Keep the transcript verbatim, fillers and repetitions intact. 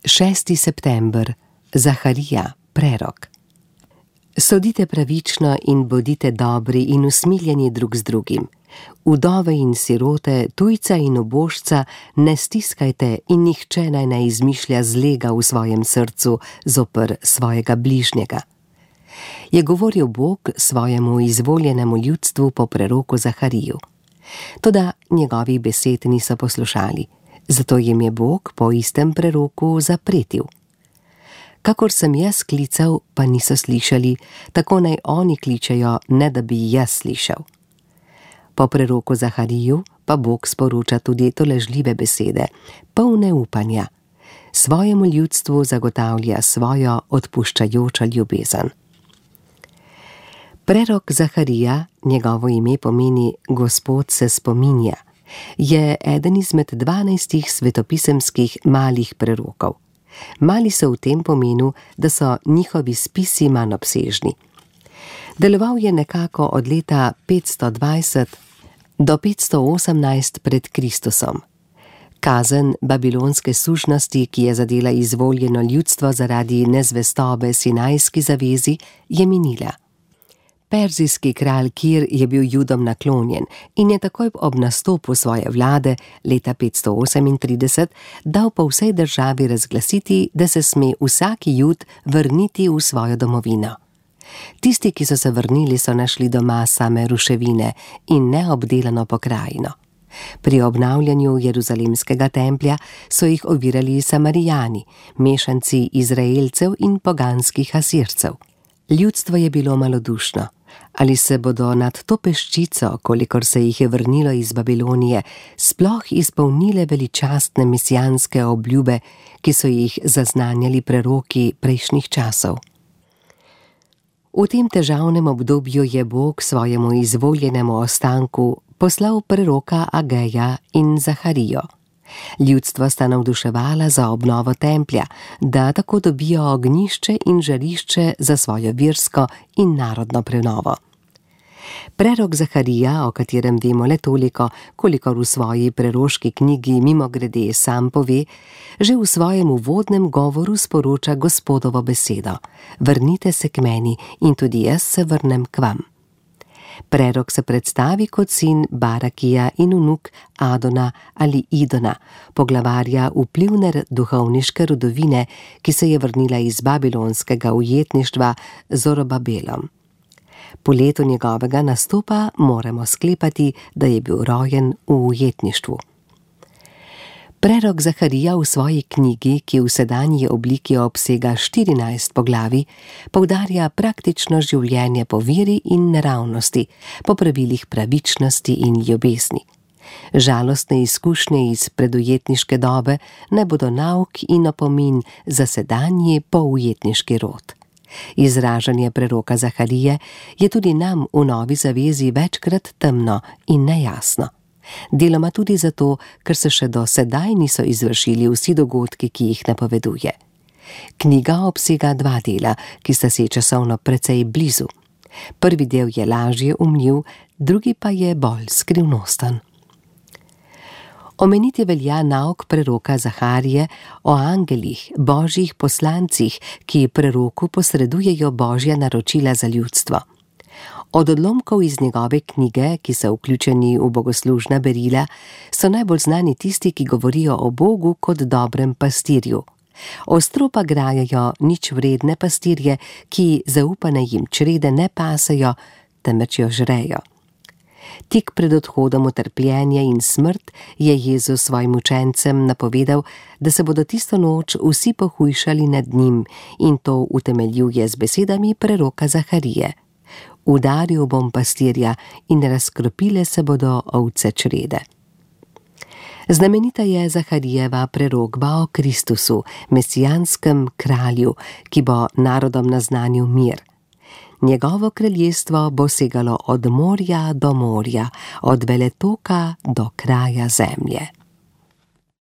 šesti september, Zaharija, prerok. Sodite pravično in bodite dobri in usmiljeni drug z drugim. Udove in sirote, tujca in ubožca ne stiskajte in nihče naj ne izmišlja zlega v svojem srcu zoper svojega bližnjega. Je govoril Bog svojemu izvoljenemu ljudstvu po preroku Zahariju. Toda njegovih besed niso poslušali, zato jim je Bog po istem preroku zapretil. Kakor sem jaz klical, pa niso slišali, tako naj oni kličejo, ne da bi jaz slišal. Po preroku Zahariju pa Bog sporoča tudi tolažljive besede, polne upanja. Svojemu ljudstvu zagotavlja svojo odpuščajočo ljubezen. Prerok Zaharija, njegovo ime pomeni Gospod se spominja, je eden izmed dvanajstih svetopisemskih malih prerokov. Mali so v tem pomenu, da so njihovi spisi manj obsežni. Deloval je nekako od leta petsto dvajset do petsto osemnajst pred Kristusom. Kazen babilonske sužnosti, ki je zadela izvoljeno ljudstvo zaradi nezvestobe Sinajski zavezi, je minila. Perzijski kralj Kir je bil Judom naklonjen in je takoj ob nastopu svoje vlade leta petsto osemintrideset dal po vsej državi razglasiti, da se sme vsaki Jud vrniti v svojo domovino. Tisti, ki so se vrnili, so našli doma same ruševine in neobdelano pokrajino. Pri obnavljanju Jeruzalemskega templja so jih ovirali Samarijani, mešanci Izraelcev in poganskih Asircev. Ljudstvo je bilo malodušno. Ali se bodo nad to peščico, kolikor se jih je vrnilo iz Babilonije, sploh izpolnile veličastne mesijanske obljube, ki so jih zaznanjali preroki prejšnjih časov? V tem težavnem obdobju je Bog svojemu izvoljenemu ostanku poslal preroka Ageja in Zaharijo. Ljudstvo sta navduševala za obnovo templja, da tako dobijo ognjišče in žarišče za svojo versko in narodno prenovo. Prerok Zaharija, o katerem vemo le toliko, kolikor v svoji preroški knjigi mimogrede sam pove, že v svojem uvodnem govoru sporoča Gospodovo besedo: vrnite se k meni in tudi jaz se vrnem k vam. Prerok se predstavi kot sin Barakija in vnuk Adona ali Idona, poglavarja vplivne duhovniške rodovine, ki se je vrnila iz babilonskega ujetništva z Zorobabelom. Po letu njegovega nastopa moramo sklepati, da je bil rojen v ujetništvu. Prerok Zaharija v svoji knjigi, ki v sedanji obliki obsega štirinajst poglavij, poudarja praktično življenje po veri in naravnosti, po pravilih pravičnosti in ljubezni. Žalostne izkušnje iz predujetniške dobe ne bodo nauk in opomin za sedanji poujetniški rod. Izražanje preroka Zaharije je tudi nam v Novi zavezi večkrat temno in nejasno. Deloma tudi zato, ker se še do sedaj niso izvršili vsi dogodki, ki jih napoveduje. Knjiga obsega dva dela, ki sta se časovno precej blizu. Prvi del je lažje umljiv, drugi pa je bolj skrivnosten. Omeniti velja nauk preroka Zaharije o angelih, božjih poslancih, ki preroku posredujejo božja naročila za ljudstvo. Od odlomkov iz njegove knjige, ki so vključeni v bogoslužna berila, so najbolj znani tisti, ki govorijo o Bogu kot dobrem pastirju. Ostro pa grajajo nič vredne pastirje, ki zaupane jim črede ne pasejo, temveč jo žrejo. Tik pred odhodom v trpljenje in smrt je Jezus svojim učencem napovedal, da se bodo tisto noč vsi pohujšali nad njim, in to utemeljuje z besedami preroka Zaharije: udaril bom pastirja in razkropile se bodo ovce črede. Znamenita je Zaharijeva prerokba o Kristusu, mesijanskem kralju, ki bo narodom naznanil mir. Njegovo kraljestvo bo segalo od morja do morja, od veletoka do kraja zemlje.